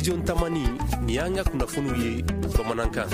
Studio Tamani, nin y'an ka kunnafoniw ye bamanankan.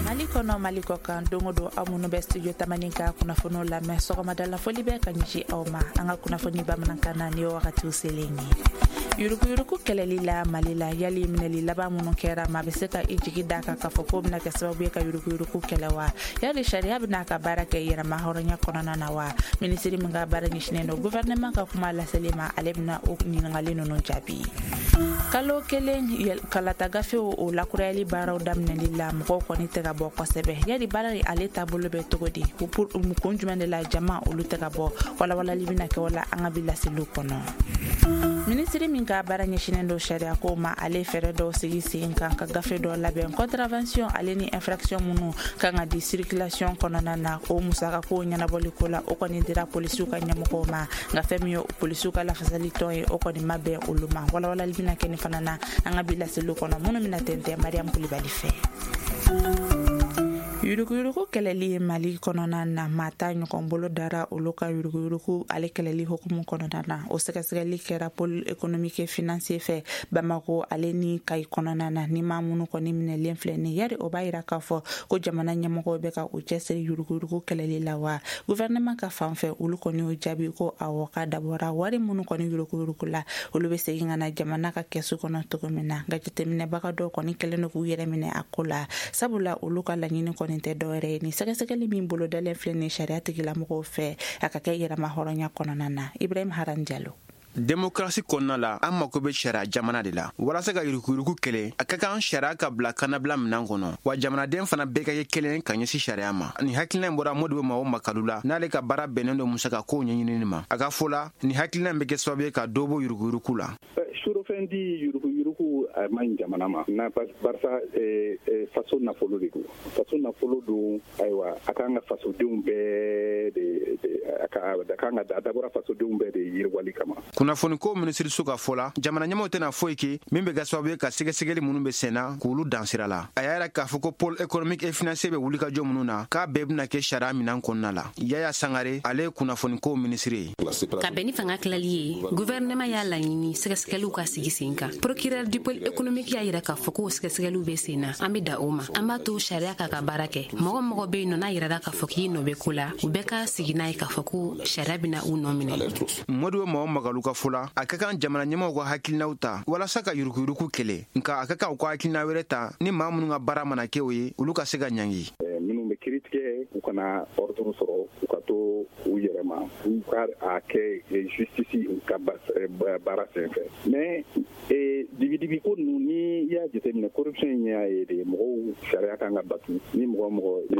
Mali kɔnɔ, Mali kɔ kan, don o don, aw minnu bɛ Studio Tamani ka kunnafoniw lamɛn, sɔgɔmada foli bɛ ka ɲɛsin aw ma. An ka kunnafoni bamanankan na, ni ye wagatiw selen ye, yuruguyurugu kɛlɛli la Mali la, yali minɛli laban minnu kɛra, maa bɛ se ka i jigi da kan k'a fɔ k'o bɛna kɛ sababu ye ka yuruguyurugu kɛlɛ wa? Yali sariya bɛna ka baara kɛ yɛrɛma hɔrɔnya kɔnɔna na wa? Minisiri min ka baara ɲɛsinnen don gouvernement ka kuma laseli ma, ale bɛna o ɲininkali ninnu jaabi. Kalo kelen kalata gafew o lakurayali baaraw daminɛli la, mɔgɔw kɔni tɛ ka bɔ kosɛbɛ. Yali baara in ale taabolo bɛ cogo di? Kun jumɛn de la jama olu tɛ ka bɔ? Walawalali bɛna kɛ o la an ka bi laseliw kɔnɔ. Minisiri min ka baara ɲɛsinnen don sariya ko ma, ale fɛɛrɛ dɔw sigi sen kan ka gafe dɔ labɛn, contravention ale ni infraction minnu kan ka di circulation kɔnɔna na, o musaka ko ɲɛnabɔli ko la, o kɔni dira polisiw ka ɲɛmɔgɔw ma. Nka fɛn min ye polisiw ka lafasali tɔn ye, o kɔni ma bɛn olu ma. Walawalali bɛna kɛ nin fana na an ka bi laseliw kɔnɔ, minnu bɛna tɛntɛn Mariam Kulibali fɛ. Yuruguyurugu kɛlɛli Mali kɔnɔna na, maa ta ɲɔgɔn bolo dara olu ka yuruguyurugu ale kɛlɛli hukumu kɔnɔna na. O sɛgɛsɛgɛli kɛra pôle économique et financier fɛ Bamako ale ni Kayi kɔnɔna na. Ni maa minnu kɔni minɛlen filɛ nin, yari o b'a yira k'a fɔ ko jamana ɲɛmɔgɔw bɛ ka u cɛsiri yuruguyurugu kɛlɛli la wa? Gouvernement ka fan fɛ, olu kɔni y'o jaabi ko awɔ, k'a dabɔra wari minnu kɔni yuruguyurugu la, olu bɛ segin ka na jamana ka kɛsu kɔnɔ cogo min na. Nka jateminɛbaga dɔw kɔni kɛlen don k'u yɛrɛ minɛ a ko la, sabula olu ka laɲini kɔni tɛ dɔwɛrɛ ye, nin sɛgɛsɛgɛli min bolodalen filɛ nin sariya tigilamɔgɔw fɛ, a ka kɛ yɛrɛma hɔrɔnya kɔnɔna na. Ibrahim Haran Jalo. Demokarasi kɔnɔna la, an mako bɛ sariya jamana de la walasa ka yuruguyurugu kɛlɛ. A ka kan sariya ka bila kannabila minan kɔnɔ, wa jamanaden fana bɛɛ ka kɛ kelen ka ɲɛsin sariya ma. Nin hakilina in bɔra Modibo Mao Makalu la, n'ale ka baara bɛnnen don musaka kow ɲɛɲinini ma. A ka fɔ la, nin hakilina in bɛ kɛ sababu ye ka dɔ bɔ yuruguyurugu la. Surɔfɛn di, yuruguyurugu, a man ɲi jamana ma na, barisa faso nafolo de don, faso nafolo don. Ayiwa, a kan ka fasodenw bɛɛ de, a kan ka a dabɔra fasodenw bɛɛ de yiriwali kama. Kunnafoniko minisiriso ka fɔ la, jamana ɲɛmaw tɛna foyi kɛ min bɛ kɛ sababu ye ka sɛgɛsɛgɛli minnu bɛ senna k'olu dan sira la. A y'a yira k'a fɔ ko pôle économique et financier bɛ wulikajɔ minnu na, k'a bɛɛ bɛna kɛ sariya minan kɔnɔna la. Yaya Sangare, ale ye kunnafoniko minisiri ye. Ka bɛn ni fanga tilali ye, gouvernement y'a laɲini sɛgɛsɛgɛliw ka sigi sen kan. Procureur du pôle économique y'a yira k'a fɔ k'o sɛgɛsɛgɛliw bɛ sen na. An bɛ da o ma, an b'a to sariya k'a ka baara kɛ. Mɔgɔ mɔgɔ bɛ yen nɔ n'a yirara k'a fɔ k'i nɔ bɛ ko la, u bɛɛ ka sigi n'a ye k'a fɔ ko sariya bɛna u nɔ minɛ. Modibo Mao Magalu ka fɔ la, a ka kan jamana ɲɛmaw ka hakilinaw ta walasa ka yuruguyurugu kɛlɛ, nka a ka kan u ka hakilina wɛrɛ ta ni maa minnu ka baara mana kɛ o ye, olu ka se ka ɲangi. Minnu bɛ kiri tigɛ, u kana ordre sɔrɔ, u ka to u yɛrɛ ma, u ka a kɛ justice ka baara sen fɛ. Mais dibidibi ko ninnu, ni i y'a jateminɛ, corruption in y'a ye de, mɔgɔw, sariya kan ka batu. Ni mɔgɔ mɔgɔ ye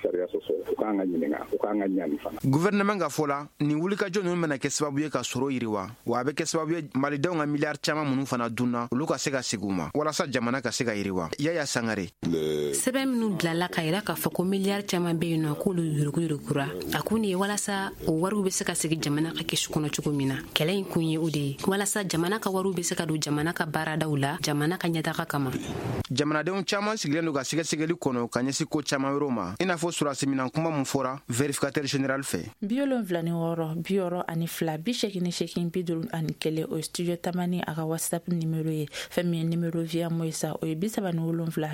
sariya sɔsɔ, u kan ka ɲininka, u kan ka ɲani fana. Gouvernement ka fɔ la, nin wulikajɔ ninnu bɛna kɛ sababu ye ka sɔrɔ yiriwa, wa a bɛ kɛ sababu ye malidenw ka miliyari caman minnu fana dunna, olu ka se ka segin u ma walasa jamana ka se ka yiriwa. Yaya Sangare. Sɛbɛn minnu bilala ka yira k'a fɔ ko miliyari caman bɛ yen nɔ k'olu yuruguyurugura, a kun ye walasa o wariw bɛ se ka segin jamana ka kɛsu kɔnɔ cogo min na. Kɛlɛ in kun ye o de ye, walasa jamana ka wariw bɛ se ka don jamana ka baaradaw la, jamana ka ɲɛtaga kama. Jamanadenw caman sigilen don ka sɛgɛsɛgɛli kɔnɔ ka ɲɛsin ko caman wɛrɛw ma, i n'a fɔ sɔrɔdasi kuma min fɔra vérificateur général fɛ. 76 62 88 51, o ye Studio Tamani a ka WhatsApp numéro ye. Fɛn min ye numéro Via Moisa, o ye 37 32 1.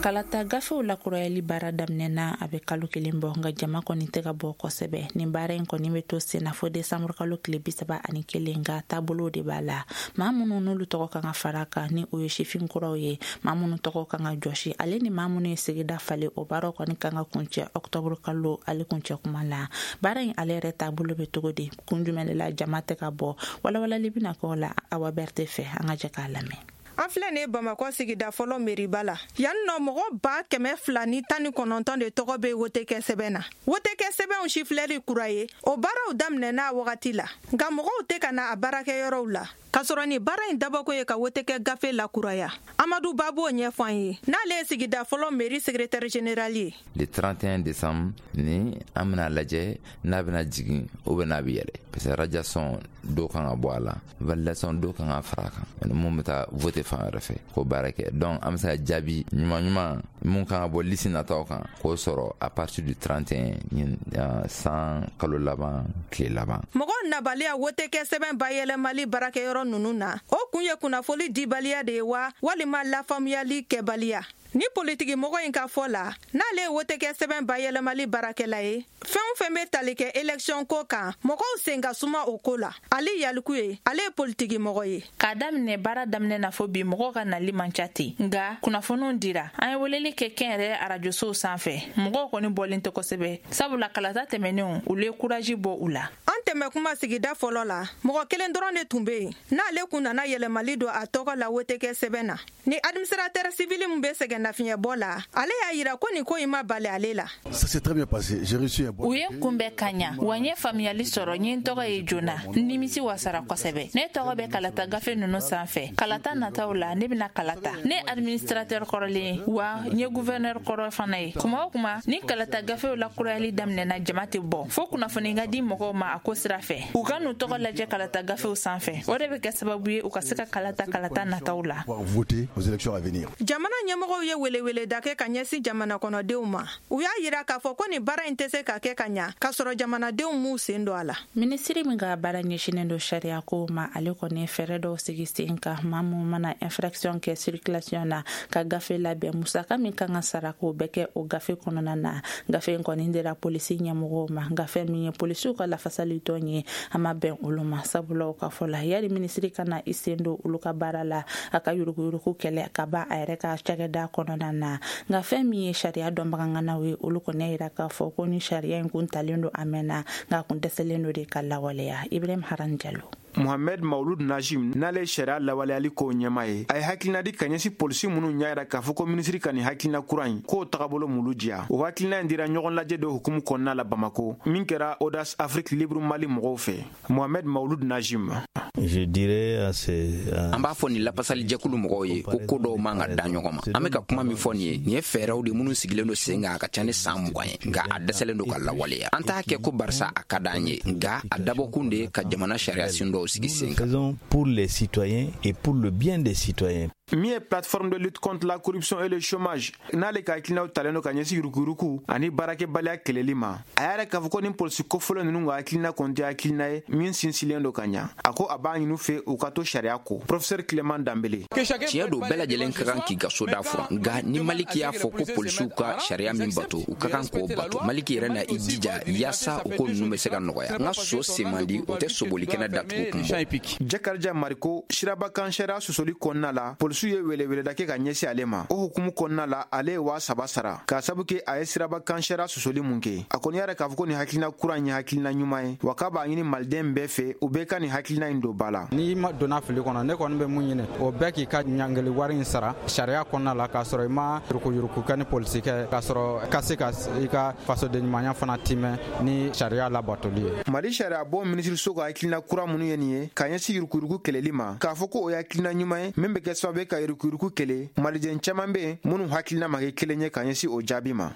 Kalata gafew lakurayali baara daminɛna a bɛ kalo kelen bɔ, nka jama kɔni tɛ ka bɔ kosɛbɛ. Nin baara in kɔni bɛ to sen na fo desanburu kalo tile 31, nka taabolo de b'a la. Maa minnu n'olu tɔgɔ kan ka fara kan, ni o ye sifin kuraw ye, maa minnu tɔgɔ kan ka jɔsi, ale ni maa minnu ye sigida falen, o baaraw kɔni kan ka kuncɛ ɔktɔburu kalo ale kuncɛ kuma la. Baara in ale yɛrɛ taabolo bɛ cogo di? Kun jumɛn de la jama tɛ ka bɔ? Walawalali bɛna kɛ o la Awa Bɛrite fɛ. An ka jɛ k'a lamɛn. An filɛ nin ye Bamakɔ sigida fɔlɔ meriba la yan nɔ. Mɔgɔ 219 de tɔgɔ bɛ wote kɛ sɛbɛn na. Wote kɛ sɛbɛnw sifilɛli kura ye, o baaraw daminɛna a wagati la, nka mɔgɔw tɛ ka na a baarakɛyɔrɔw la. K'a sɔrɔ ni baara in dabɔkun ye ka wotekɛ gafe lakuraya. Amadu Ba b'o ɲɛfɔ an ye, n'ale ye sigida fɔlɔ mairie secrétaire général ye. Le 31 décembre ni an bɛna lajɛ n'a bɛna jigin ou bien n'a bɛ yɛlɛ, parce que radiation dɔw kan ka bɔ a la, validation dɔw kan ka fara a kan, ani mun bɛ taa voter fan wɛrɛ fɛ k'o baara kɛ. Donc an bɛ se ka jaabi ɲuman ɲuman mun kan ka bɔ liste nataw kan k'o sɔrɔ à partir du 31 ɲin san kalo laban tile laban. Mɔgɔw nabaliya wotekɛ sɛbɛn bayɛlɛmali baarakɛyɔrɔ ninnu na, o kun ye kunnafoli dibaliya de ye wa, walima lafaamuyali kɛbaliya? Ni politiki mɔgɔ in ka fɔ la, n'ale ye wotekɛ sɛbɛn bayɛlɛmali baarakɛla ye, fɛn o fɛn bɛ tali kɛ élection ko kan, mɔgɔw sen ka suma o ko la. Ali Yaliku ye, ale ye politiki mɔgɔ ye. K'a daminɛ baara daminɛ na fo bi, mɔgɔw ka nali man ca ten, nka kunnafoniw dira. An ye weleli kɛ kɛnyɛrɛ arajosow sanfɛ, mɔgɔw kɔni bɔlen tɛ kosɛbɛ, sabula kalata tɛmɛnenw, olu ye courage bɔ u la. An tɛmɛ kuma sigida fɔlɔ la, mɔgɔ kelen dɔrɔn de tun bɛ yen n'ale kun nana yɛlɛmali don a tɔgɔ la wotekɛ sɛbɛn na. Ni administrateur civil min bɛ sɛgɛn nafiɲɛbɔ la, ale y'a yira ko nin ko in ma bali ale la. Ça s'est très bien passé. J'ai reçu un bon U ye n kunbɛn ka ɲa wa, n ye faamuyali sɔrɔ. N ye n tɔgɔ ye joona, n nimisi wasara kosɛbɛ. Ne tɔgɔ bɛ kalata gafe ninnu sanfɛ. Kalata nataw la, ne bɛna kalata. Ne administrateur kɔrɔlen ye wa, n ye gouverneur kɔrɔ fana ye. Kuma o kuma ni kalata gafew lakurayali daminɛna, jama tɛ bɔ, fo kunnafoni ka di mɔgɔw ma a ko sira fɛ, u ka n'u tɔgɔ lajɛ kalata gafew sanfɛ. O de bɛ kɛ sababu ye u ka se ka kalata kalata nataw la. Pouvoir voter aux élections à venir. Jamana ɲɛmɔgɔw ye weleweleda kɛ ka ɲɛsin jamana kɔnɔdenw ma. U y'a yira k'a fɔ ko nin baara in tɛ se ka kɛ ka ɲa k'a sɔrɔ jamanadenw m'u sen don a la. Minisiri min ka baara ɲɛsinen don sariya ko ma, ale kɔni ye fɛɛrɛ dɔw sigi sen kan. Maa mun mana infraction kɛ circulation na, ka gafe labɛn, musaka min kan ka sara, k'o bɛɛ kɛ o gafe kɔnɔna na. Gafe in kɔni dira polisi ɲɛmɔgɔw ma. Gafe min ye polisiw ka lafasali tɔn ye, a ma bɛn olu ma, sabula u ka fɔ la, yali minisiri ka na i sen don olu ka baara la, a ka yuruguyurugu kɛlɛ ka ban a yɛrɛ ka cakɛda kɔnɔna na. Nka fɛn min ye sariya dɔnbaganganaw ye, olu kɔni y'a yira k'a fɔ ko ni sariya in kun talen don a mɛnna, nka a kun dɛsɛlen don de ka lawaleya. Ibrahim Haran Jalo. Mohamed Maulud Najim, n'ale ye sariya lawaleyali kow ɲɛma ye, a ye hakilina di ka ɲɛsin polisi minnu ɲa yira k'a fɔ ko minisiri ka nin hakilina kura in k'o tagabolo m'olu diya. O hakilina in dira ɲɔgɔn lajɛ dɔ hukumu kɔnɔna la Bamako, min kɛra Audace Afrique Libre Mali mɔgɔw fɛ. Mohamed Maulud Najim. Je dirais à ces, An b'a fɔ nin lapasalijɛkulu mɔgɔw ye ko ko dɔw man ka da ɲɔgɔn ma. An bɛ ka kuma min fɔ nin ye, nin ye fɛɛrɛw de minnu sigilen don sen kan, a ka ca ni san 20 ye, nka a dɛsɛlen don ka lawaleya. An t'a kɛ ko barisa a ka d'an ye, nka a dabɔkun de ye ka jamana sariya sen dɔw sigi sen kan. Faisons pour les citoyens et pour le bien des citoyens. Min ye Plateforme de lutte contre la corruption et le chômage, n'ale ka hakilinaw talen don ka ɲɛsin yuruguyurugu ani baarakɛbaliya kɛlɛli ma, a y'a yɛrɛ k'a fɔ ko ni polisi kofɔlɔ ninnu ka hakilina kɔni tɛ hakilina ye min sinsinlen don ka ɲa. A ko a b'a ɲini fɛ u ka to sariya kɔ. Professeur Clément Danbele. Tiɲɛ don, bɛɛ lajɛlen ka kan k'i ka soda furan, nka ni Maliki y'a fɔ ko polisiw ka sariya min bato, u ka kan k'o bato. Maliki yɛrɛ na i jija yaasa o ko ninnu bɛ se ka nɔgɔya. N ka so sen man di, o tɛ sobolikɛnɛ datugu kun bɔ. Jakarija Mariko, sirabakan sariya sɔsɔli kɔnɔna la, polisiw ye weleweleda kɛ ka ɲɛsin ale ma. O hukumu kɔnɔna la, ale ye 3000 sara k'a sabu kɛ a ye sirabakan sariya sɔsɔli mun kɛ. A kɔni y'a yɛrɛ k'a fɔ ko nin hakilina kura in ye hakilina ɲuman ye wa, k'a b'a ɲini maliden bɛɛ fɛ, u bɛɛ ka nin hakilina in don ba la. N'i ma donna fili kɔnɔ, ne kɔni bɛ mun ɲini, o bɛɛ k'i ka ɲangili wari in sara sariya kɔnɔna la, k'a sɔrɔ i ma yurukuyuruku kɛ ni polisi kɛ, k'a sɔrɔ ka se ka i ka fasoden ɲumanya fana timɛ ni sariya labatoli ye. Mali sariya bɔ minisiriso ka hakilina kura minnu ye nin ye ka ɲɛsin yurukuyuruku kɛlɛli ma, k'a fɔ ko o ye hakilina ɲuman ye min bɛ kɛ sababu ye ka yurukuyuruku kɛlɛ, maliden caman bɛ yen minnu hakilina ma kɛ kelen ye ka ɲɛsin o jaabi ma.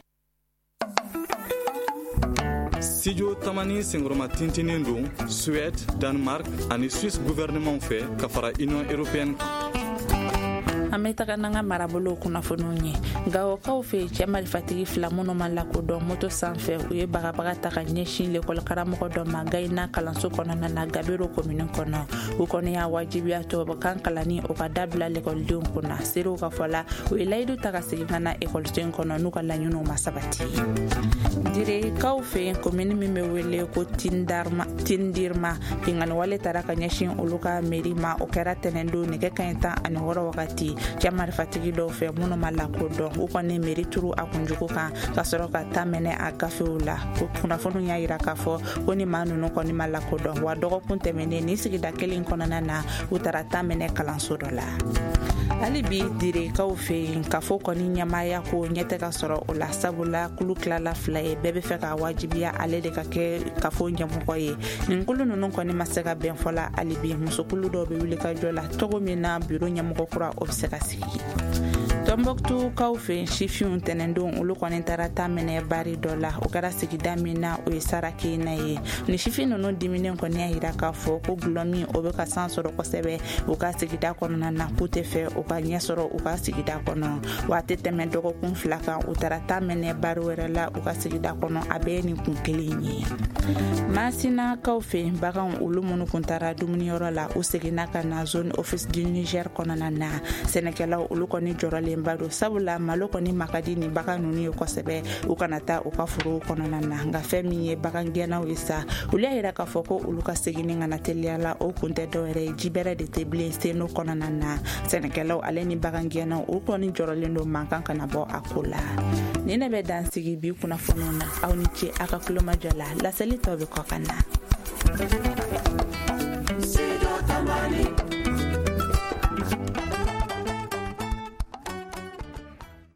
Studio Tamani senkɔrɔma tintinin don Suède, Danemark ani Suisse gouvernement fɛ ka fara Union européenne kan. An bɛ taga n'an ka marabolow kunnafoniw ye. Gawokaw fɛ, cɛ marifatigi fila minnu ma lakodɔn, moto sanfɛ, u ye bagabaga ta ka ɲɛsin lekɔli karamɔgɔ dɔ ma Gayina kalanso kɔnɔna na, Gabero komini kɔnɔ. U kɔni y'a wajibiya tubabukan kalanni o ka dabila lekɔlidenw kunna. Seerew ka fɔ la, u ye layidu ta ka segin ka na ekɔliso in kɔnɔ n'u ka laɲiniw ma sabati. Direkaw fɛ yen, komini min bɛ wele ko Tindirma, binkanni wale tara ka ɲɛsin olu ka meri ma. O kɛra tɛnɛndon nɛgɛ kaɲɛ 16 wagati, cɛ marifatigi dɔw fɛ minnu ma lakodɔn. U kɔni meri turu a kunjugu kan ka sɔrɔ ka taa mɛnɛ a gafew la. Kunnafoniw y'a yira k'a fɔ ko ni maa ninnu kɔni ma lakodɔn wa. Dɔgɔkun tɛmɛnen, ni sigida kelen kɔnɔna na, u taara taa mɛnɛ kalanso dɔ la. Hali bi Direkaw fɛ yen, kafo kɔni ɲɛmaaya ko ɲɛ tɛ ka sɔrɔ o la, sabula kulu tilala fila ye, bɛɛ bɛ fɛ ka wajibiya ale de ka kɛ kafo ɲɛmɔgɔ ye. Nin kulu ninnu kɔni ma se ka bɛn fɔ la hali bi. Musokulu dɔw bɛ wuli ka jɔ la cogo min na biro ɲɛmɔgɔ kura o bɛ se ka sigi. Tɔnbɔkutukaw fɛ yen, sifinw tɛnɛndon olu kɔni taara ta minɛ bari dɔ la. O kɛra sigida min na, o ye Sarakena ye. Ni sifin ninnu diminen kɔni y'a yira k'a fɔ ko gulɔmin o bɛ ka san sɔrɔ kosɛbɛ u ka sigida kɔnɔna na, k'u tɛ fɛ u ka ɲɛ sɔrɔ u ka sigida kɔnɔ. Waati tɛmɛ dɔgɔkun 2 kan, u taara ta minɛ bari wɛrɛ la u ka sigida kɔnɔ, a bɛɛ ye nin kun kelen ye. Masinakaw fɛ yen, baganw olu minnu kun taara dumuniyɔrɔ la, u seginna ka na zone Office du Niger kɔnɔna na. Sɛnɛkɛlaw olu kɔni jɔrɔlenba don, sabula malo kɔni ma ka di nin bagan ninnu ye kosɛbɛ, u kana taa u ka forow kɔnɔna na. Nka fɛn min ye bagan gɛnnaw ye sa, olu y'a yira k'a fɔ ko olu ka seginni kana teliya la, o kun tɛ dɔwɛrɛ ye, ji bɛrɛ de tɛ bilen Seno kɔnɔna na. Sɛnɛkɛlaw ale ni bagan gɛnnaw olu kɔni jɔrɔlen don mankan kana bɔ a ko la. Nin ne bɛ dan sigi bi kunnafoniw na. Aw ni ce aw ka kulomajɔ la. Laseli tɔ bɛ kɔ ka na.